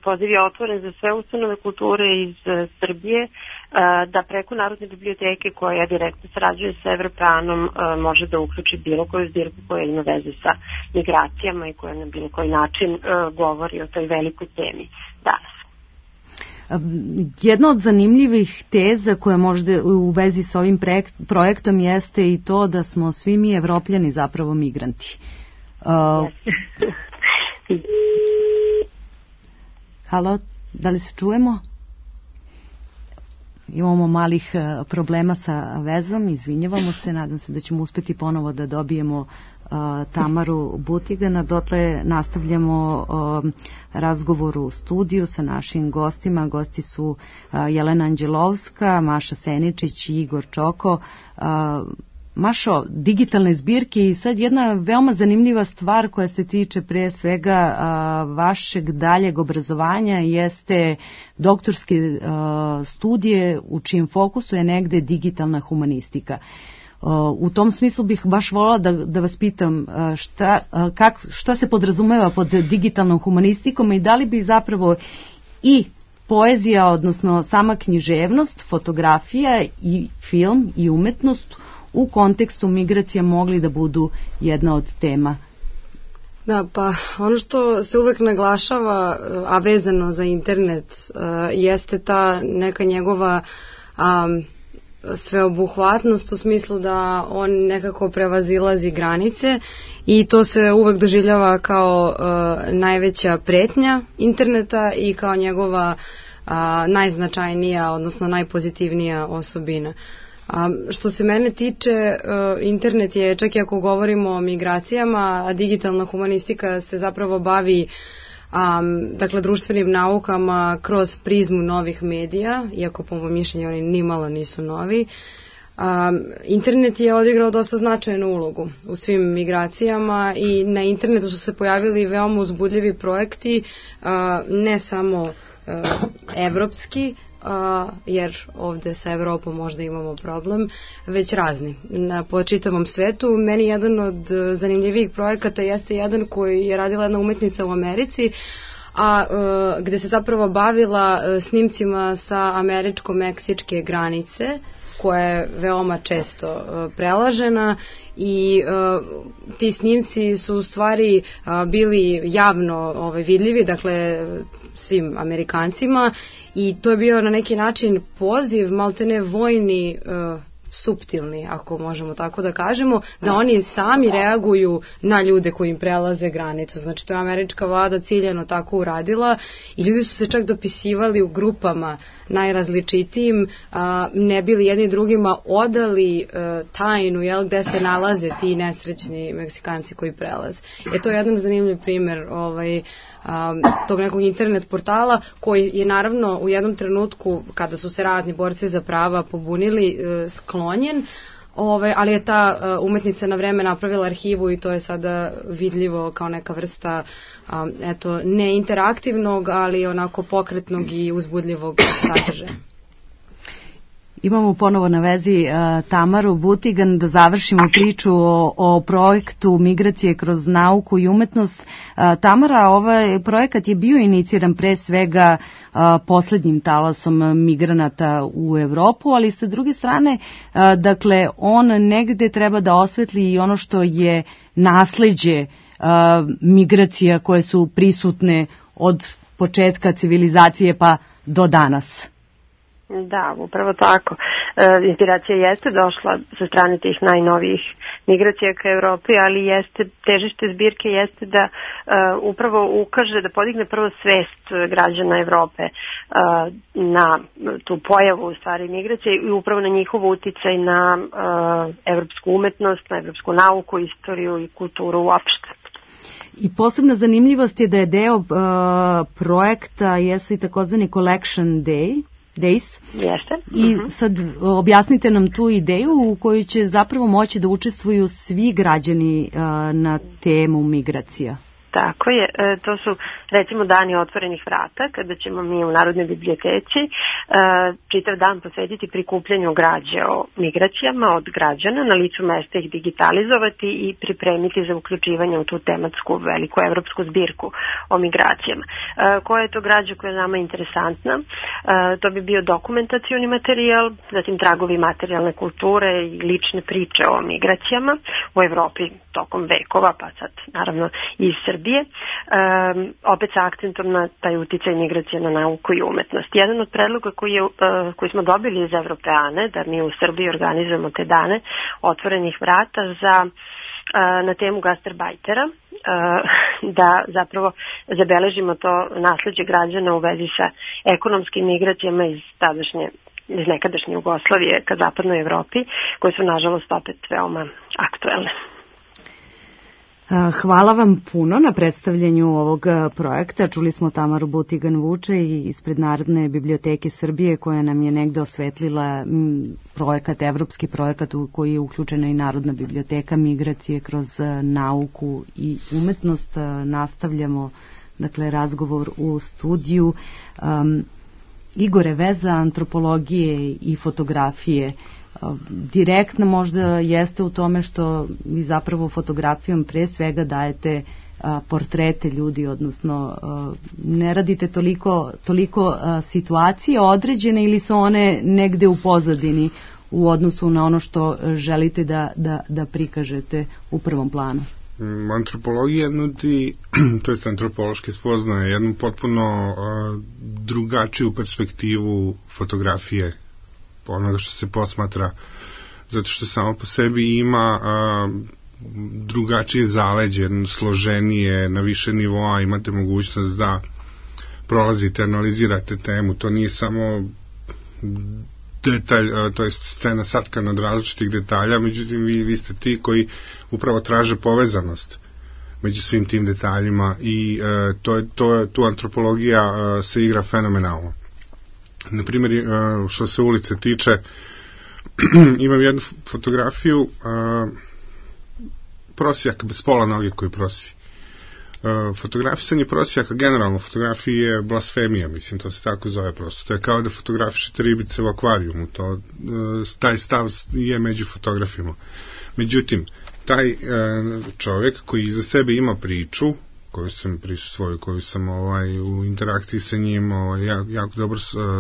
poziv je otvoren za sve ustanove kulture iz uh, Srbije, uh, da preko Narodne biblioteke, koja direktno sarađuje sa Evropeanom, uh, može da uključi bilo koju zbirku koja ima veze sa migracijama i koja na bilo koji način uh, govori o toj velikoj temi danas. Jedna od zanimljivih teza koja možda u vezi s ovim projektom jeste i to da smo svi mi Evropljani zapravo migranti. Uh, halo, da li se čujemo? Imamo malih problema sa vezom, izvinjavamo se, nadam se da ćemo uspeti ponovo da dobijemo uh, Tamaru Butigana. Dotle nastavljamo uh, razgovor u studiju sa našim gostima. Gosti su uh, Jelena Anđelovska, Maša Seničić i Igor Čoko. Uh, Mašo, digitalne zbirke i sad jedna veoma zanimljiva stvar koja se tiče pre svega a, vašeg daljeg obrazovanja jeste doktorske a, studije u čijem fokusu je negde digitalna humanistika. A, u tom smislu bih baš volila da, da vas pitam a, šta, a, kak, šta se podrazumeva pod digitalnom humanistikom i da li bi zapravo i poezija, odnosno sama književnost, fotografija i film i umetnost u kontekstu migracija mogli da budu jedna od tema? Da, pa ono što se uvek naglašava, a vezano za internet, jeste ta neka njegova um, sveobuhvatnost u smislu da on nekako prevazilazi granice i to se uvek doživljava kao uh, najveća pretnja interneta i kao njegova uh, najznačajnija, odnosno najpozitivnija osobina. A što se mene tiče, internet je, čak i ako govorimo o migracijama, a digitalna humanistika se zapravo bavi um, dakle, društvenim naukama kroz prizmu novih medija, iako po mojom mišljenju oni nimalo nisu novi. Um, internet je odigrao dosta značajnu ulogu u svim migracijama i na internetu su se pojavili veoma uzbudljivi projekti, uh, ne samo uh, evropski, Uh, jer ovde sa Evropom možda imamo problem, već razni na po čitavom svetu. Meni jedan od zanimljivijih projekata jeste jedan koji je radila jedna umetnica u Americi, a uh, gde se zapravo bavila uh, snimcima sa američko-meksičke granice koja je veoma često prelažena i uh, ti snimci su u stvari uh, bili javno ovaj, vidljivi, dakle svim Amerikancima, i to je bio na neki način poziv, maltene vojni, uh, suptilni, ako možemo tako da kažemo, da oni sami reaguju na ljude koji im prelaze granicu. Znači, to je američka vlada ciljano tako uradila i ljudi su se čak dopisivali u grupama najrazličitijim, a, ne bili jedni drugima odali a, tajnu, jel, gde se nalaze ti nesrećni Meksikanci koji prelaze. E, to je jedan zanimljiv primer ovaj, a, tog nekog internet portala koji je naravno u jednom trenutku, kada su se razni borci za prava pobunili, a, sklonjen, Ove, ali je ta uh, umetnica na vreme napravila arhivu i to je sada vidljivo kao neka vrsta um, eto, ne interaktivnog, ali onako pokretnog i uzbudljivog sadržaja. Imamo ponovo na vezi uh, Tamaru Butigan da završimo priču o, o projektu Migracije kroz nauku i umetnost. Uh, Tamara, ovaj projekat je bio iniciran pre svega uh, poslednjim talasom migranata u Evropu, ali sa druge strane, uh, dakle, on negde treba da osvetli i ono što je nasleđe uh, migracija koje su prisutne od početka civilizacije pa do danas. Da, upravo tako. E, inspiracija jeste došla sa strane tih najnovijih migracija ka Evropi, ali jeste, težište zbirke jeste da e, upravo ukaže, da podigne prvo svest građana Evrope e, na tu pojavu u stvari migracije i upravo na njihov uticaj na e, evropsku umetnost, na evropsku nauku, istoriju i kulturu uopšte. I posebna zanimljivost je da je deo uh, projekta jesu i takozvani Collection Day, Days. Jeste. I sad objasnite nam tu ideju u kojoj će zapravo moći da učestvuju svi građani uh, na temu migracija. Tako je, e, to su recimo dani otvorenih vrata, kada ćemo mi u Narodnoj biblioteci e, čitav dan posvetiti prikupljanju građe o migracijama od građana, na licu mesta ih digitalizovati i pripremiti za uključivanje u tu tematsku veliku evropsku zbirku o migracijama. E, koja je to građa koja je nama interesantna? E, to bi bio dokumentacioni materijal, zatim tragovi materijalne kulture i lične priče o migracijama u Evropi tokom vekova, pa sad naravno i iz Srbije. Um, opet sa akcentom na taj uticaj migracije na nauku i umetnost. Jedan od predloga koji, je, uh, koji smo dobili iz Evropeane, da mi u Srbiji organizujemo te dane otvorenih vrata za, uh, na temu gastarbajtera, uh, da zapravo zabeležimo to nasleđe građana u vezi sa ekonomskim migracijama iz tadašnje iz nekadašnje Jugoslavije ka zapadnoj Evropi, koje su nažalost opet veoma aktuelne. Hvala vam puno na predstavljanju ovog projekta. Čuli smo Tamaru Butigan Vuče ispred Narodne biblioteke Srbije koja nam je negde osvetlila projekat, evropski projekat u koji je uključena i Narodna biblioteka migracije kroz nauku i umetnost. Nastavljamo dakle razgovor u studiju. Um, Igore, veza antropologije i fotografije direktno možda jeste u tome što vi zapravo fotografijom pre svega dajete a, portrete ljudi, odnosno a, ne radite toliko, toliko a, situacije određene ili su one negde u pozadini u odnosu na ono što želite da, da, da prikažete u prvom planu? Antropologija nudi, to jest antropološki spoznaje, jednu potpuno a, drugačiju perspektivu fotografije onoga što se posmatra, zato što samo po sebi ima a, drugačije zaleđe, složenije, na više nivoa, imate mogućnost da prolazite, analizirate temu, to nije samo detalj, a, to je scena satkana od različitih detalja, međutim vi, vi ste ti koji upravo traže povezanost među svim tim detaljima i a, to je, to je, tu antropologija a, se igra fenomenalno. Na primjer, što se ulice tiče, imam jednu fotografiju uh, prosjaka bez pola noge koji prosi. Uh, fotografisanje prosjaka, generalno fotografije je blasfemija, mislim, to se tako zove prosto. To je kao da fotografišete ribice u akvarijumu, to, uh, taj stav je među fotografima. Međutim, taj uh, čovjek koji iza sebe ima priču, koju sam prisustvovao, koju sam ovaj, u interakciji sa njim ovaj, jako dobro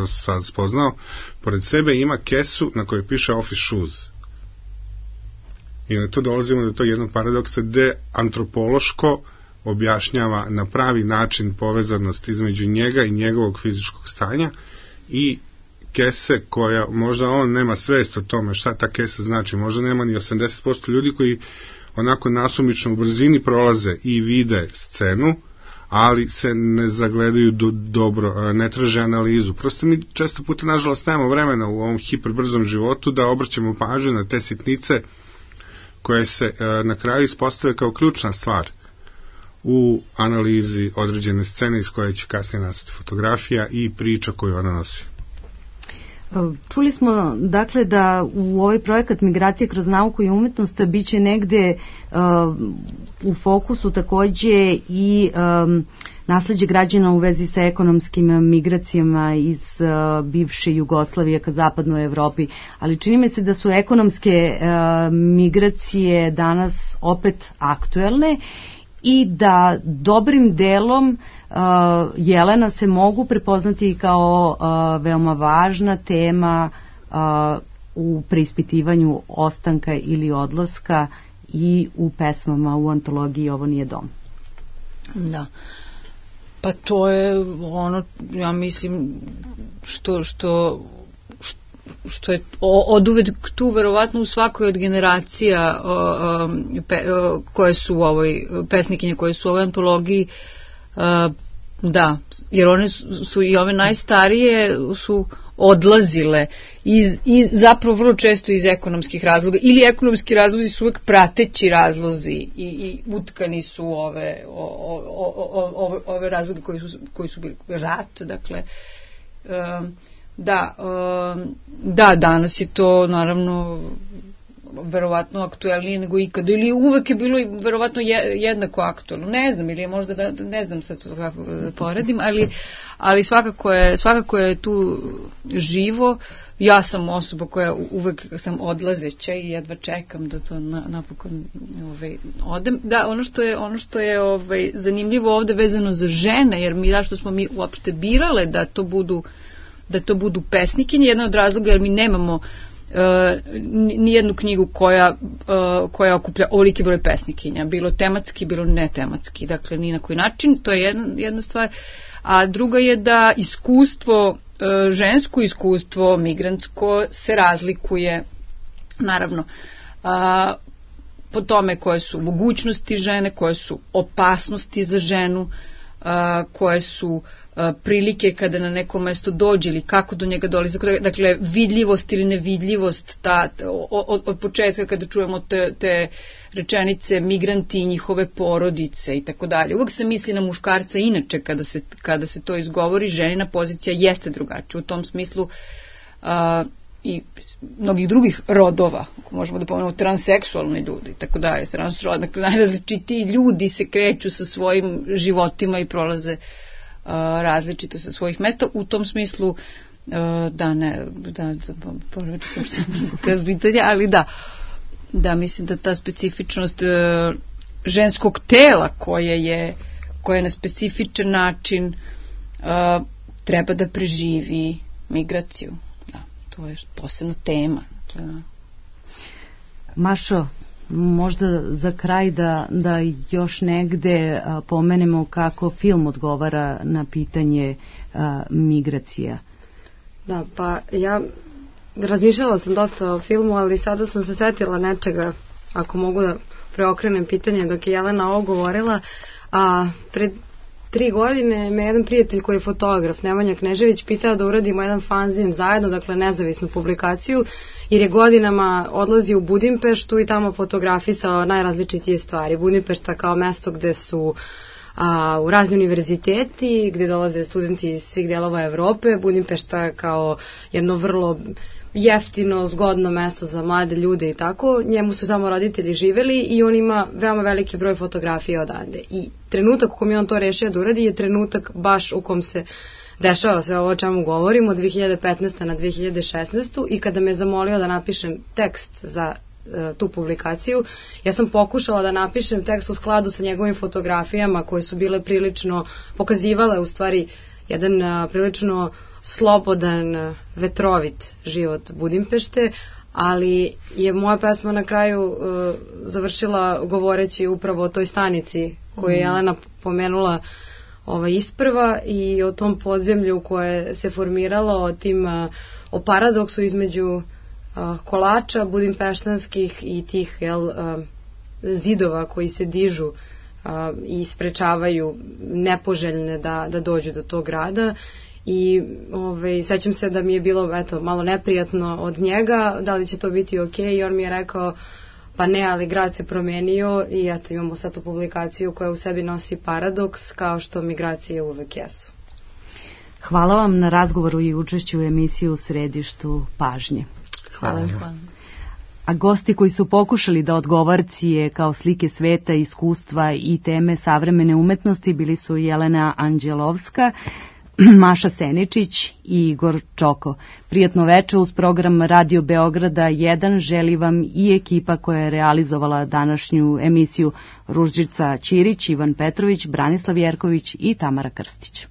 sad spoznao, pored sebe ima kesu na kojoj piše Office Shoes. I na to dolazimo do to jednog paradoksa gde antropološko objašnjava na pravi način povezanost između njega i njegovog fizičkog stanja i kese koja, možda on nema svest o tome šta ta kesa znači, možda nema ni osamdeset posto ljudi koji onako nasumično u brzini prolaze i vide scenu, ali se ne zagledaju do, dobro, ne traže analizu. Prosto mi često puta, nažalost, nemamo vremena u ovom hiperbrzom životu da obraćamo pažnju na te sitnice koje se na kraju ispostave kao ključna stvar u analizi određene scene iz koje će kasnije nastati fotografija i priča koju ona nosi. Čuli smo dakle da u ovaj projekat Migracije kroz nauku i umetnost biće negde uh, u fokusu takođe i um, nasleđe građana u vezi sa ekonomskim migracijama iz uh, bivše Jugoslavije ka zapadnoj Evropi, ali čini mi se da su ekonomske uh, migracije danas opet aktuelne i da dobrim delom uh, Jelena se mogu prepoznati kao uh, veoma važna tema uh, u preispitivanju ostanka ili odlaska i u pesmama u antologiji Ovo nije dom. Da. Pa to je ono, ja mislim, što, što, što je od uvek tu verovatno u svakoj od generacija o, o, pe, o, koje su u ovoj, pesnikinje koje su u ovoj antologiji, o, da, jer one su, su i ove najstarije su odlazile iz, iz, zapravo vrlo često iz ekonomskih razloga, ili ekonomski razlozi su uvek prateći razlozi i, i utkani su ove, o, o, o, ove, ove razloge koji su, koji su bili rat, dakle, um, da, um, da, danas je to naravno verovatno aktuelnije nego ikada, ili uvek je bilo verovatno jednako aktuelno, ne znam, ili je možda, da, ne znam sad kako poredim, ali, ali svakako, je, svakako je tu živo. Ja sam osoba koja uvek sam odlazeća i jedva čekam da to na, napokon ovaj, odem. Da, ono što je, ono što je ovaj, zanimljivo ovde vezano za žene, jer mi, zašto smo mi uopšte birale da to budu da to budu pesnikinje, jedan od razloga jer mi nemamo Uh, nijednu knjigu koja, uh, koja okuplja ovoliki broj pesnikinja, bilo tematski, bilo netematski, dakle ni na koji način, to je jedna, jedna stvar, a druga je da iskustvo, uh, žensko iskustvo, migrantsko se razlikuje, naravno, uh, po tome koje su mogućnosti žene, koje su opasnosti za ženu, uh, koje su prilike kada na neko mesto dođe ili kako do njega dolazi, dakle vidljivost ili nevidljivost, ta, od, od početka kada čujemo te, te rečenice migranti i njihove porodice i tako dalje. Uvijek se misli na muškarca, inače kada se, kada se to izgovori, ženina pozicija jeste drugačija u tom smislu, a, i mnogih drugih rodova, ako možemo da pomenemo transseksualni ljudi i tako dalje, transrod, dakle najrazličitiji ljudi se kreću sa svojim životima i prolaze Uh, različito sa svojih mesta, u tom smislu uh, da ne da, povrati sam se pitanja, ali da da mislim da ta specifičnost uh, ženskog tela koje je koje je na specifičan način uh, treba da preživi migraciju. Da, to je posebna tema. Dakle, Mašo, možda za kraj da, da još negde a, pomenemo kako film odgovara na pitanje a, migracija. Da, pa ja razmišljala sam dosta o filmu, ali sada sam se setila nečega, ako mogu da preokrenem pitanje dok je Jelena ovo govorila, a pred tri godine me jedan prijatelj koji je fotograf, Nemanja Knežević, pitao da uradimo jedan fanzin zajedno, dakle nezavisnu publikaciju, jer je godinama odlazio u Budimpeštu i tamo fotografisao najrazličitije stvari. Budimpešta kao mesto gde su a, u razni univerziteti, gde dolaze studenti iz svih delova Evrope, Budimpešta kao jedno vrlo jeftino, zgodno mesto za mlade ljude i tako. Njemu su tamo roditelji živeli i on ima veoma veliki broj fotografija odande. I trenutak u kom je on to rešio da uradi je trenutak baš u kom se dešava sve ovo o čemu govorim, od dve hiljade petnaeste. na dve hiljade šesnaestu. i kada me zamolio da napišem tekst za tu publikaciju. Ja sam pokušala da napišem tekst u skladu sa njegovim fotografijama koje su bile prilično, pokazivale u stvari jedan a, prilično slobodan, vetrovit život Budimpešte, ali je moja pesma na kraju uh, završila govoreći upravo o toj stanici koju je Jelena pomenula ovaj, isprva i o tom podzemlju koje se formiralo, o tim uh, o paradoksu između uh, kolača budimpeštanskih i tih jel, uh, zidova koji se dižu uh, i sprečavaju nepoželjne da, da dođu do tog grada. I ovaj, sećam se da mi je bilo eto, malo neprijatno od njega, da li će to biti ok, i on mi je rekao pa ne, ali grad se promenio i eto imamo sad tu publikaciju koja u sebi nosi paradoks kao što migracije uvek jesu. Hvala vam na razgovoru i učešću u emisiju U središtu pažnje. Hvala. Hvala. A gosti koji su pokušali da odgovarcije kao slike sveta, iskustva i teme savremene umetnosti bili su Jelena Anđelovska, Maša Seničić i Igor Čoko. Prijatno veče uz program Radio Beograda jedan želi vam i ekipa koja je realizovala današnju emisiju: Ružica Ćirić, Ivan Petrović, Branislav Jerković i Tamara Krstić.